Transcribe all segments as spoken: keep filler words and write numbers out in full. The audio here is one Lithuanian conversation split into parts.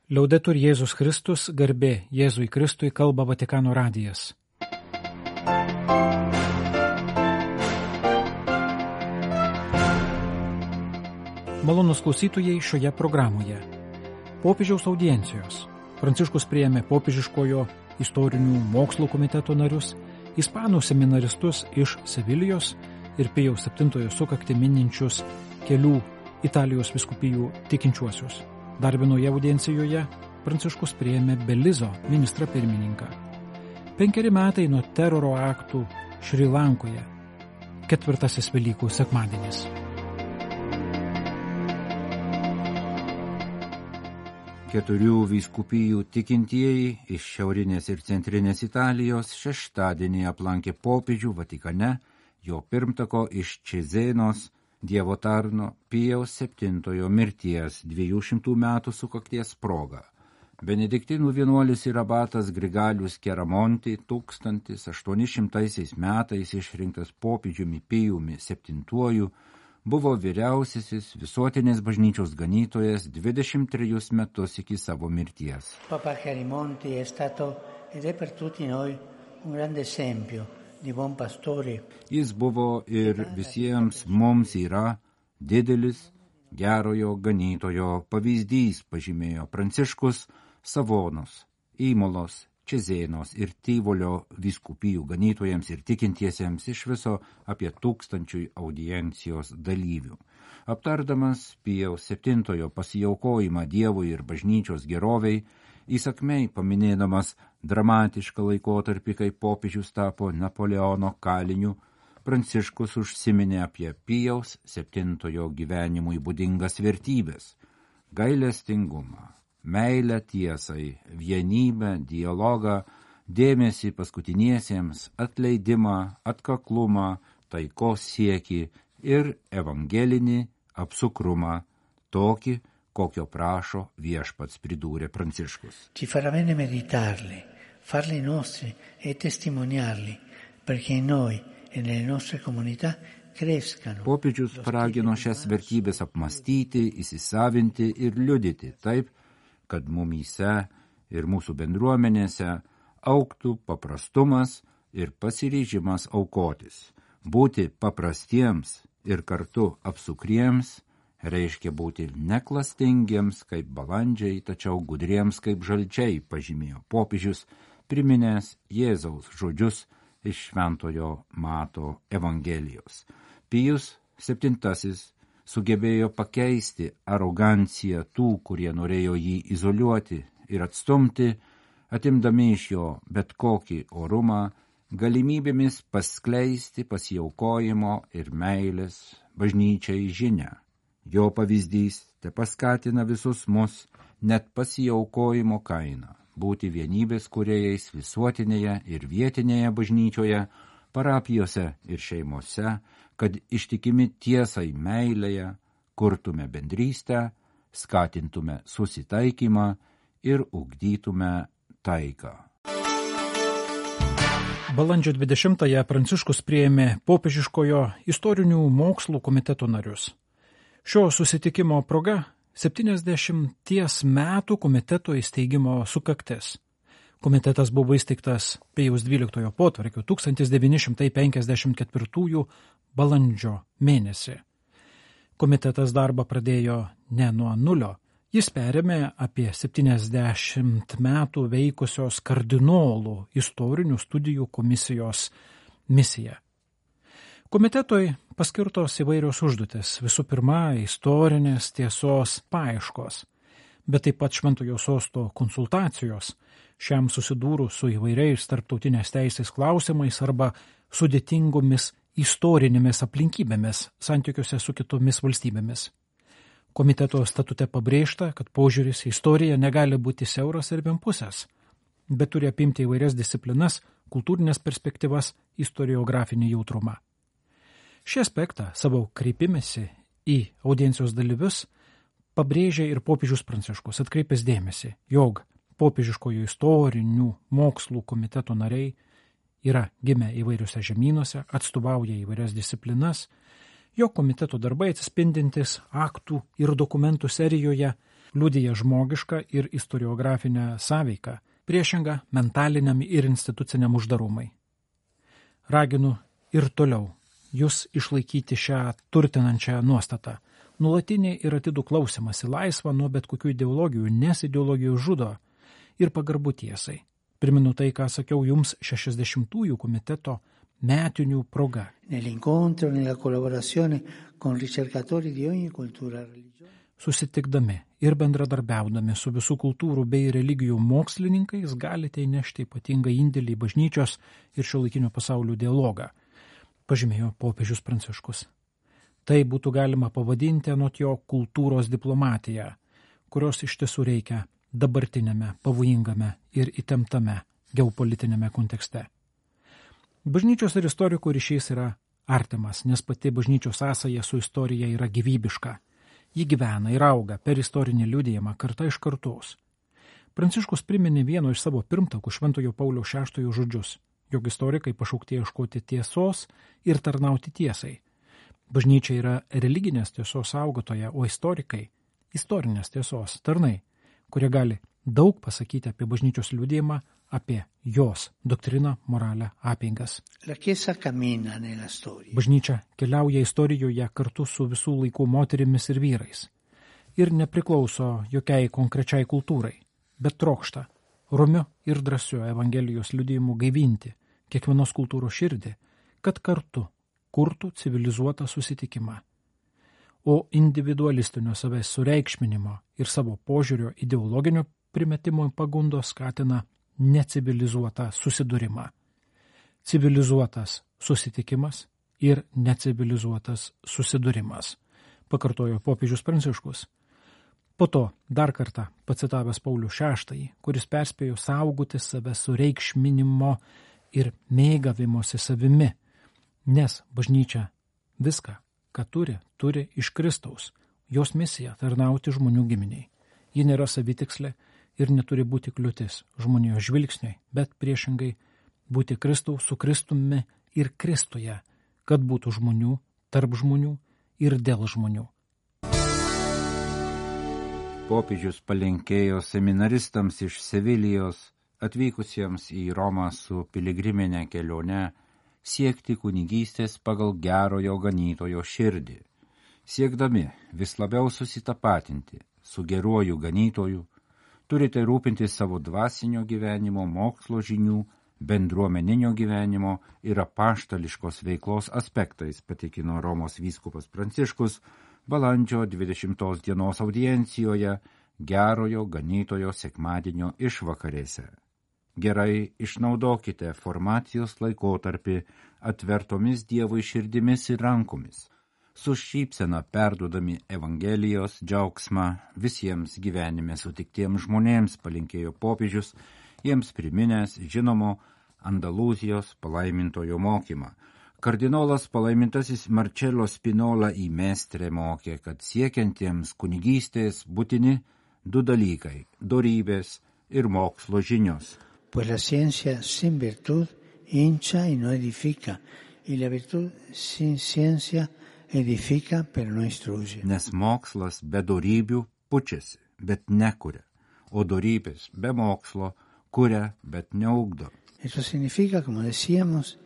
Liaudetur Jėzus Kristus, garbė Jėzui Kristui, kalba Vatikano radijas. Malonūs klausytojai šioje programoje. Popiežiaus audiencijos. Pranciškus priėmė popiežiškojo istorinių mokslų komiteto narius, ispanų seminaristus iš Sevilijos ir Pijaus septintojo sukaktį mininčius kelių Italijos vyskupijų tikinčiuosius. Dar vienoje audiencijoje Pranciškus priėmė Belizo ministrą pirmininką. Penkeri metai nuo teroro aktų Šri Lankoje. Ketvirtasis Velykų sekmadienis. Keturių vyskupijų tikintieji iš šiaurinės ir centrinės Italijos šeštadienį aplankė popiežių Vatikane, jo pirmtako iš Čezėnos Dievo tarno Pijaus septintojo mirties dviejų šimtų metų sukakties proga. Benediktinų vienuolis ir abatas Grigalius Keramonti tūkstantis aštuoni šimtaisiais metais išrinktas popiežiumi Pijumi septintuoju buvo vyriausiasis visuotinės bažnyčios ganytojas dvidešimt trejus metus iki savo mirties. Papa Keramonti è stato ed è per tutti noi un grande esempio. Jis buvo ir visiems mums yra didelis gerojo ganytojo pavyzdys, pažymėjo Pranciškus Savonos, Įmolos, Čezėnos ir Tyvolio vyskupijų ganytojams ir tikintiesiems iš viso apie tūkstančiui audiencijos dalyvių. Aptardamas Pijaus septintojo pasiaukojimą Dievui ir bažnyčios geroviai, įsakmei paminėdamas dramatišką laikotarpį, kai popiežius tapo Napoleono kaliniu, Pranciškus užsiminė apie Pijaus septintojo gyvenimui būdingas vertybės – gailestingumą, meilę tiesai, vienybę, dialogą, dėmesį paskutiniesiems, atleidimą, atkaklumą, taikos siekį ir evangelinį apsukrumą, tokį, kokio prašo viešpats, pridūrė Pranciškus. Ci farà bene meditarli, farli nostri e testimoniarli, perché in noi e nelle nostre comunità crescano. Popiežius paragino šias vertybės apmastyti, įsisavinti ir liudyti taip, kad mumyse ir mūsų bendruomenėse augtų paprastumas ir pasiryžimas aukotis. Būti paprastiems ir kartu apsukriems reiškia būti neklastingiems kaip balandžiai, tačiau gudriems kaip žalčiai, pažymėjo popiežius, priminęs Jėzaus žodžius iš Šventojo Mato Evangelijos. Pijus septintasis sugebėjo pakeisti aroganciją tų, kurie norėjo jį izoliuoti ir atstumti, atimdami iš jo bet kokį orumą, galimybėmis paskleisti pasiaukojimo ir meilės bažnyčiai žinią. Jo pavyzdys te paskatina visus mus net pasiaukojimo kainą būti vienybės kūrėjais visuotinėje ir vietinėje bažnyčioje, parapijose ir šeimose, kad ištikimi tiesai meilėje kurtume bendrystę, skatintume susitaikymą ir ugdytume taiką. Balandžio dvidešimtąją Pranciškus priėmė popiežiškojo istorinių mokslų komiteto narius. Šio susitikimo proga septyniasdešimties metų komiteto įsteigimo sukaktis. Komitetas buvo įsteigtas Pijaus dvyliktojo potvarkiu tūkstantis devyni šimtai penkiasdešimt ketvirtųjų balandžio mėnesį. Komitetas darbą pradėjo ne nuo nulio, jis perėmė apie septyniasdešimt metų veikusios kardinolų istorinių studijų komisijos misiją. Komitetui paskirtos įvairios užduotis, visų pirma, istorinės tiesos paieškos, bet taip pat Šventojo sosto konsultacijos, šiam susidūrus su įvairiais tarptautinės teisės klausimais arba sudėtingomis istorinėmis aplinkybėmis santykiuose su kitomis valstybėmis. Komiteto statute pabrėžta, kad požiūris į istoriją negali būti siauras ir vienpusės, bet turi apimti įvairias disciplinas, kultūrinės perspektyvas, istoriografinį jautrumą. Šį aspektą savo kreipimėsi į audiencijos dalyvius pabrėžė ir popiežius Pranciškus, atkreipęs dėmesį, jog popiežiškojo istorinių mokslų komiteto nariai yra gimę įvairiuose žemynuose, atstovauja įvairias disciplinas, jo komiteto darbai atsispindintis aktų ir dokumentų serijoje Liudija žmogišką ir istoriografinę sąveiką, priešingą mentaliniam ir instituciniam uždarumai. Raginu ir toliau jūs išlaikyti šią turtinančią nuostatą. Nuolatinį ir atidų klausimąsi laisvą nuo bet kokių ideologijų, nes ideologijų žudo ir pagarbų tiesai. Priminu tai, ką sakiau jums šešiasdešimtųjų komiteto metinių proga. Nell'incontro, nella collaborazione con ricercatori di ogni cultura e religione. Susitikdami ir bendradarbiaudami su visų kultūrų bei religijų mokslininkais galite įnešti ypatingą indėlį į bažnyčios ir šiuolaikinio pasaulio dialogą, pažymėjo popiežius Pranciškus. Tai būtų galima pavadinti anot jo kultūros diplomatiją, kurios iš tiesų reikia dabartinėme, pavojingame ir įtemptame geopolitinėme kontekste. Bažnyčios ir istorikų ryšys yra artimas, nes pati bažnyčios sąsaja su istorija yra gyvybiška. Ji gyvena ir auga per istorinį liudijimą karta iš kartos. Pranciškus priminė vieno iš savo pirmtakų Šventojo Pauliaus šeštojo žodžius, jog istorikai pašaukti ieškoti tiesos ir tarnauti tiesai. Bažnyčia yra religinės tiesos saugotoja, o istorikai – istorinės tiesos tarnai, kurie gali daug pasakyti apie bažnyčios liudijimą, apie jos doktriną, moralę, apeigas. Bažnyčia keliauja istorijoje kartu su visų laikų moterimis ir vyrais ir nepriklauso jokiai konkrečiai kultūrai, bet trokšta romiu ir drąsiu Evangelijos liudijimu gaivinti kiekvienos kultūros širdį, kad kartu kurtų civilizuotą susitikimą. O individualistinio savęs sureikšminimo ir savo požiūrio ideologinio primetimo pagundos skatina necivilizuotą susidūrimą. Civilizuotas susitikimas ir necivilizuotas susidūrimas, pakartojo popiežius Pranciškus. Po to dar kartą pacitavęs Paulių šeštąjį, kuris perspėjo saugoti save sureikšminimo ir mėgavimosi savimi, nes bažnyčia viską, ką turi, turi iš Kristaus, jos misija tarnauti žmonių giminiai. Ji nėra savitikslė ir neturi būti kliūtis žmonijos žvilgsniai, bet priešingai būti Kristaus su Kristumi ir Kristuje, kad būtų žmonių, tarp žmonių ir dėl žmonių. Popiežius palinkėjo seminaristams iš Sevilijos atvykusiems į Romą su piligriminė kelione siekti kunigystės pagal gerojo ganytojo širdį, siekdami vis labiau susitapatinti su geruoju ganytoju, turite rūpintis savo dvasinio gyvenimo, mokslo žinių, bendruomeninio gyvenimo ir apaštališkos veiklos aspektais, patikino Romos vyskupas Pranciškus balandžio dvidešimtos dienos audiencijoje gerojo ganytojo sekmadienio išvakarėse. Gerai išnaudokite formacijos laikotarpį atvertomis Dievui širdimis ir rankomis, su šypsena perduodami Evangelijos džiaugsmą visiems gyvenime sutiktiems žmonėms, palinkėjo popiežius, jiems priminęs žinomo Andalūzijos palaimintojo mokymą. Kardinolas palaimintasis Marcello Spinola į Mestre mokė, kad siekiantiems kunigystės būtini du dalykai – dorybės ir mokslo žinios. Pues la ciencia sin virtud hincha y no edifica, y la virtud sin ciencia edifica pero no instruye. Nes mokslas be dorybių pučiasi, bet nekuria, o dorybės be mokslo kuria, bet neugdo. Eso significa, como decíamos,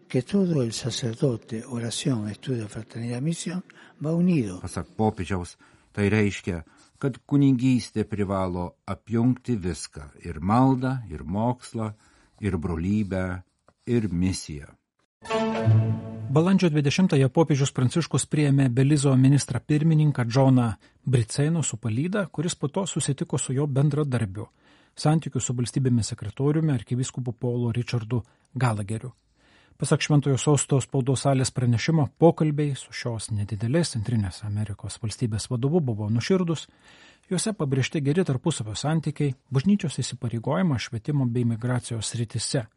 que todo el sacerdote, oración, estudio, fraternidad, misión va unido. Pasak popiežiaus, tai reiškia, kad kunigystė privalo apjungti viską – ir maldą, ir mokslą, ir brolybę, ir misiją. Balandžio dvidešimtąją popiežius Pranciškus priėmė Belizo ministrą pirmininką Džoną Briceno su palyda, kuris po to susitiko su jo bendradarbiu, santykių su valstybėmis sekretoriumi arkivyskupu Paulu Richardu Galageriu. Pasak Šventojo Sosto spaudos salės pranešimo, pokalbiai su šios nedidelės Centrinės Amerikos valstybės vadovu buvo nuširdus, juose pabrėžti geri tarpusavio santykiai, bažnyčios įsipareigojimą švietimo bei migracijos srityse,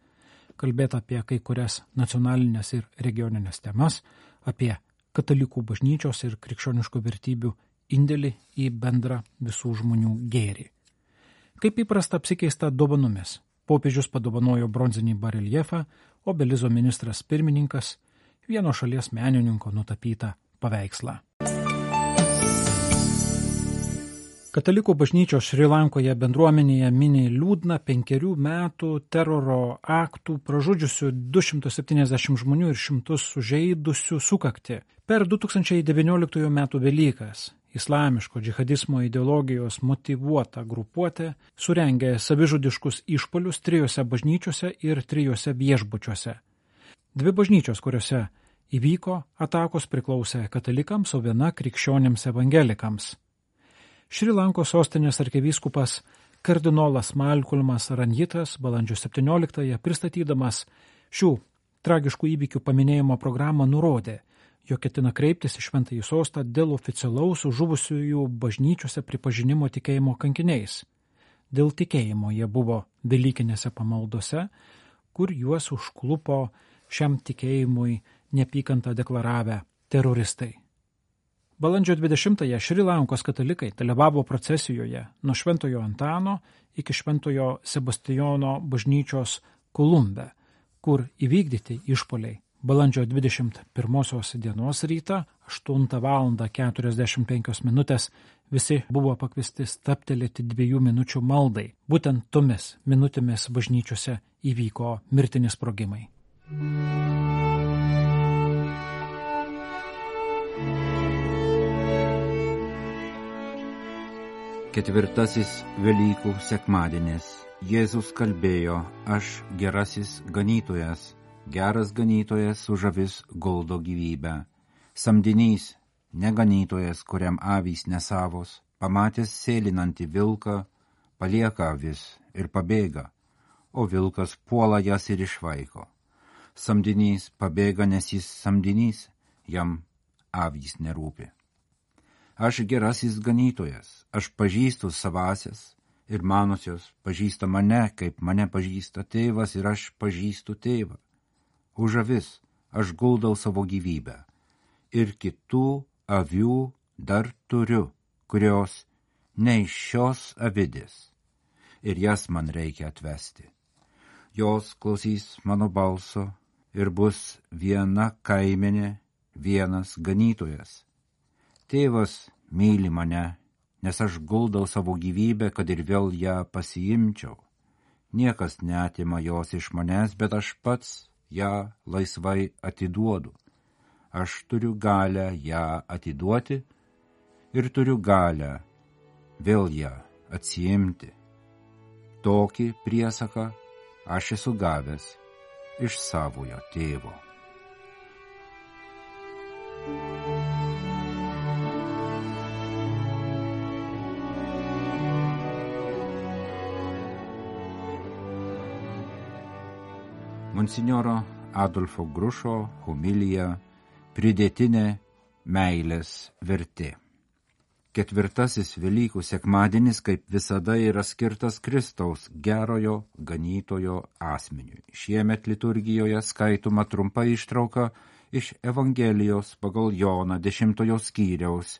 kalbėta apie kai kurias nacionalinės ir regioninės temas, apie katalikų bažnyčios ir krikščioniškų vertybių indėlį į bendrą visų žmonių gėrį. Kaip įprasta apsikeista dovanomis. Popiežius padovanojo bronzinį bareljefą, o Belizo ministras pirmininkas vieno šalies menininko nutapytą paveikslą. Katalikų bažnyčios Šri Lankoje bendruomenėje mini liūdną penkerių metų teroro aktų pražudžiusių du šimtus septyniasdešimt žmonių ir šimtus sužeidusių sukaktį. Per du tūkstančiai devynioliktųjų metų Velykas islamiško džihadizmo ideologijos motyvuota grupuotė surengė savižudiškus išpuolius trijose bažnyčiose ir trijose viešbučiuose. Dvi bažnyčios, kuriuose įvyko atakos, priklausė katalikams, o viena krikščionims evangelikams. Šri Lankos sostinės arkivyskupas kardinolas Malkulmas Ranjitas balandžio septynioliktąją pristatydamas šių tragiškų įvykių paminėjimo programą nurodė, jog ketina kreiptis į Šventąjį sostą dėl oficialaus žuvusiųjų bažnyčiose pripažinimo tikėjimo kankiniais. Dėl tikėjimo jie buvo velykinėse pamaldose, kur juos užklupo šiam tikėjimui neapykantą deklaravę teroristai. Balandžio dvidešimtąją Šri Lankos katalikai dalyvavo procesijoje nuo Šventojo Antano iki Šventojo Sebastijono bažnyčios Kolumbe, kur įvykdyti išpoliai balandžio dvidešimt pirmosios dienos rytą aštuntą valandą keturiasdešimt penkios minutės visi buvo pakviesti stabtelėti dviejų minučių maldai. Būtent tomis minutėmis bažnyčiose įvyko mirtini sprogimai. Ketvirtasis Velykų sekmadienis. Jėzus kalbėjo, aš gerasis ganytojas, geras ganytojas už avis guldo gyvybę. Samdinys, neganytojas, kuriam avys nesavos, pamatęs sėlinantį vilką, palieka avis ir pabėga, o vilkas puola jas ir išvaiko. Samdinys pabėga, nes jis samdinys, jam avys nerūpi. Aš gerasis ganytojas, aš pažįstu savasias ir manosios pažįsta mane, kaip mane pažįsta tėvas ir aš pažįstu tėvą. Už avis aš guldau savo gyvybę ir kitų avių dar turiu, kurios ne iš šios avidės ir jas man reikia atvesti. Jos klausys mano balso ir bus viena kaimenė, vienas ganytojas. Tėvas myli mane, nes aš guldau savo gyvybę, kad ir vėl ją pasiimčiau. Niekas neatima jos iš manęs, bet aš pats ją laisvai atiduodu. Aš turiu galę ją atiduoti ir turiu galę vėl ją atsiimti. Tokį priesaką aš esu gavęs iš savojo tėvo. Monsinjoro Adolfo Grušo homilija Pridėtinė meilės vertė. Ketvirtasis Velykų sekmadienis, kaip visada, yra skirtas Kristaus gerojo ganytojo asmeniui. Šiemet liturgijoje skaitoma trumpa ištrauka iš Evangelijos pagal Joną dešimtojo skyriaus,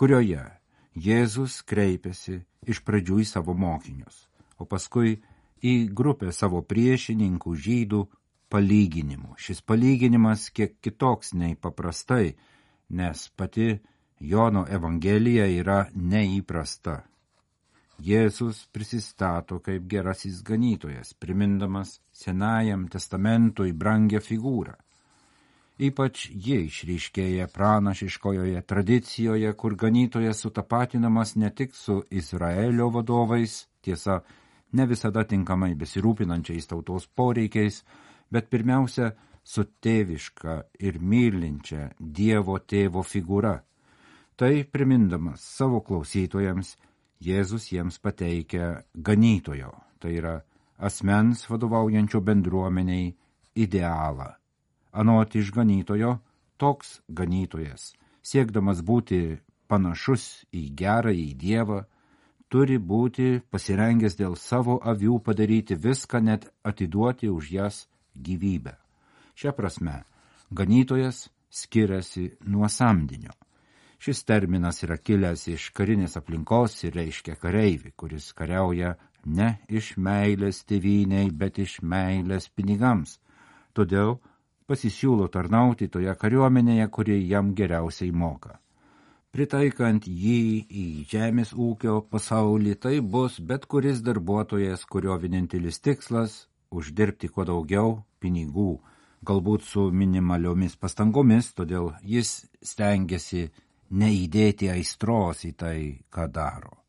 kurioje Jėzus kreipiasi iš pradžių į savo mokinius, o paskui į grupę savo priešininkų žydų palyginimų. Šis palyginimas kiek kitoks nei paprastai, nes pati Jono Evangelija yra neįprasta. Jėzus prisistato kaip gerasis ganytojas, primindamas Senajam testamentui brangią figūrą. Ypač jie išryškėja pranašiškojoje tradicijoje, kur ganytojas sutapatinamas ne tik su Izraelio vadovais, tiesa, ne visada tinkamai besirūpinančiais tautos poreikiais, bet pirmiausia su tėviška ir mylinčia Dievo tėvo figūra. Tai primindamas savo klausytojams, Jėzus jiems pateikia ganytojo, tai yra asmens vadovaujančio bendruomeniai idealą. Anot išganytojo, toks ganytojas, siekdamas būti panašus į gerąjį Dievą, turi būti pasirengęs dėl savo avių padaryti viską, net atiduoti už jas gyvybę. Šia prasme, ganytojas skiriasi nuo samdinio. Šis terminas yra kilęs iš karinės aplinkos ir reiškia kareivį, kuris kariauja ne iš meilės tėvynei, bet iš meilės pinigams. Todėl pasisiūlo tarnauti toje kariuomenėje, kuri jam geriausiai moka. Pritaikant jį į žemės ūkio pasaulį, tai bus bet kuris darbuotojas, kurio vienintelis tikslas – uždirbti kuo daugiau pinigų, galbūt su minimaliomis pastangomis, todėl jis stengiasi neįdėti aistros į tai, ką daro.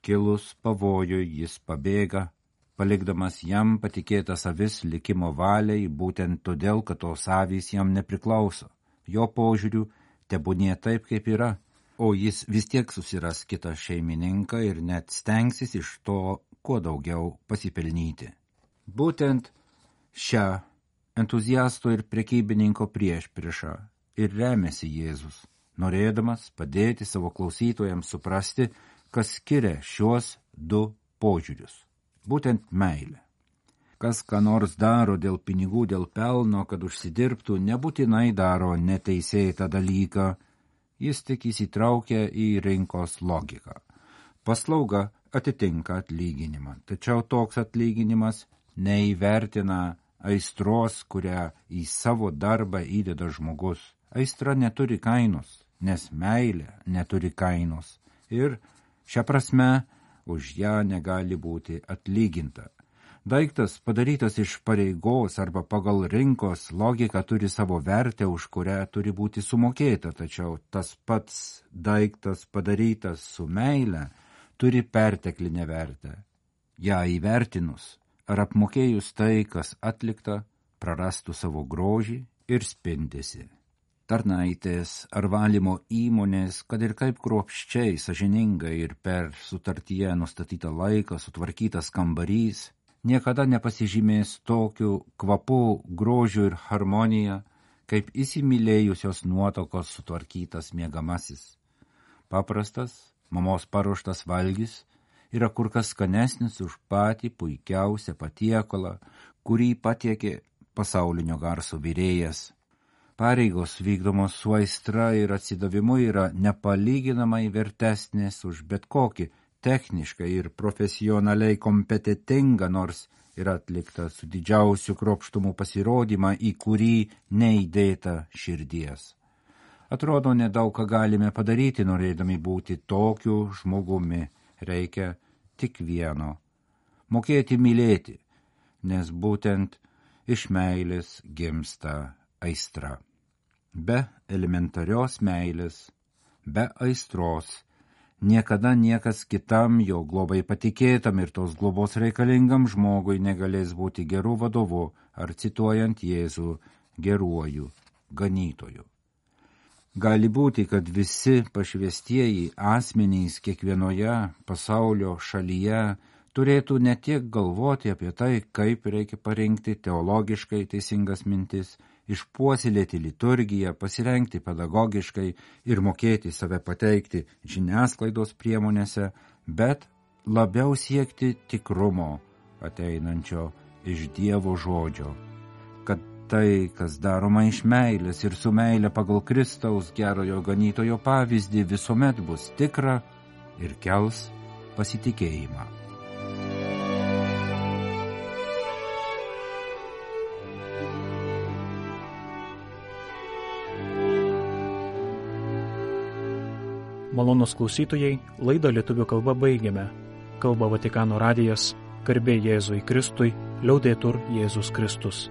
Kilus pavojui jis pabėga, palikdamas jam patikėtas avis likimo valiai, būtent todėl, kad tos avys jam nepriklauso. Jo požiūriu tebūnie taip, kaip yra, o jis vis tiek susiras kitą šeimininką ir net stengsis iš to kuo daugiau pasipelnyti. Būtent šią entuziasto ir prekybininko priešpriešą ir remiasi Jėzus, norėdamas padėti savo klausytojams suprasti, kas skiria šiuos du požiūrius. Būtent meilė. Kas ką nors daro dėl pinigų, dėl pelno, kad užsidirbtų, nebūtinai daro neteisėtą dalyką, jis tik įsitraukia į rinkos logiką. Paslauga atitinka atlyginimą, tačiau toks atlyginimas neįvertina aistros, kurią į savo darbą įdeda žmogus. Aistra neturi kainos, nes meilė neturi kainos ir šią prasme už ją negali būti atlyginta. Daiktas padarytas iš pareigos arba pagal rinkos logiką turi savo vertę, už kurią turi būti sumokėta, tačiau tas pats daiktas padarytas su meile turi perteklinę vertę. Ja įvertinus ar apmokėjus tai, kas atlikta, prarastų savo grožį ir spindesį. Tarnaitės ar valymo įmonės, kad ir kaip kruopščiai, sąžiningai ir per sutartyje nustatytą laiką sutvarkytas kambarys, niekada nepasižymės tokiu kvapu, grožiu ir harmonija, kaip įsimylėjusios nuotokos sutvarkytas miegamasis. Paprastas, mamos paruoštas valgis yra kur kas skanesnis už patį puikiausią patiekalą, kurį patiekė pasaulinio garso virėjas. Pareigos vykdomos su aistra ir atsidavimu yra nepalyginamai vertesnės už bet kokį techniškai ir profesionaliai kompetentingą, nors ir atlikta su didžiausiu kruopštumu pasirodymą, į kurį neįdėta širdies. Atrodo, nedaug ką galime padaryti, norėdami būti tokiu žmogumi. Reikia tik vieno – mokėti mylėti, nes būtent iš meilės gimsta aistra. Be elementarios meilės, be aistros, niekada niekas kitam jo globai patikėtam ir tos globos reikalingam žmogui negalės būti geru vadovu ar, cituojant Jėzų, geruoju ganytoju. Gali būti, kad visi pašvestieji asmenys kiekvienoje pasaulio šalyje turėtų ne tiek galvoti apie tai, kaip reikia parinkti teologiškai teisingas mintis, išpuoselėti liturgiją, pasirengti pedagogiškai ir mokėti save pateikti žiniasklaidos priemonėse, bet labiau siekti tikrumo ateinančio iš Dievo žodžio, kad tai, kas daroma iš meilės ir su meilė pagal Kristaus gerojo ganytojo pavyzdį, visuomet bus tikra ir kels pasitikėjimą. Malonūs klausytojai, laidą lietuvių kalba baigiame. Kalba Vatikano radijas, garbė Jėzui Kristui, liaudetur Jėzus Kristus.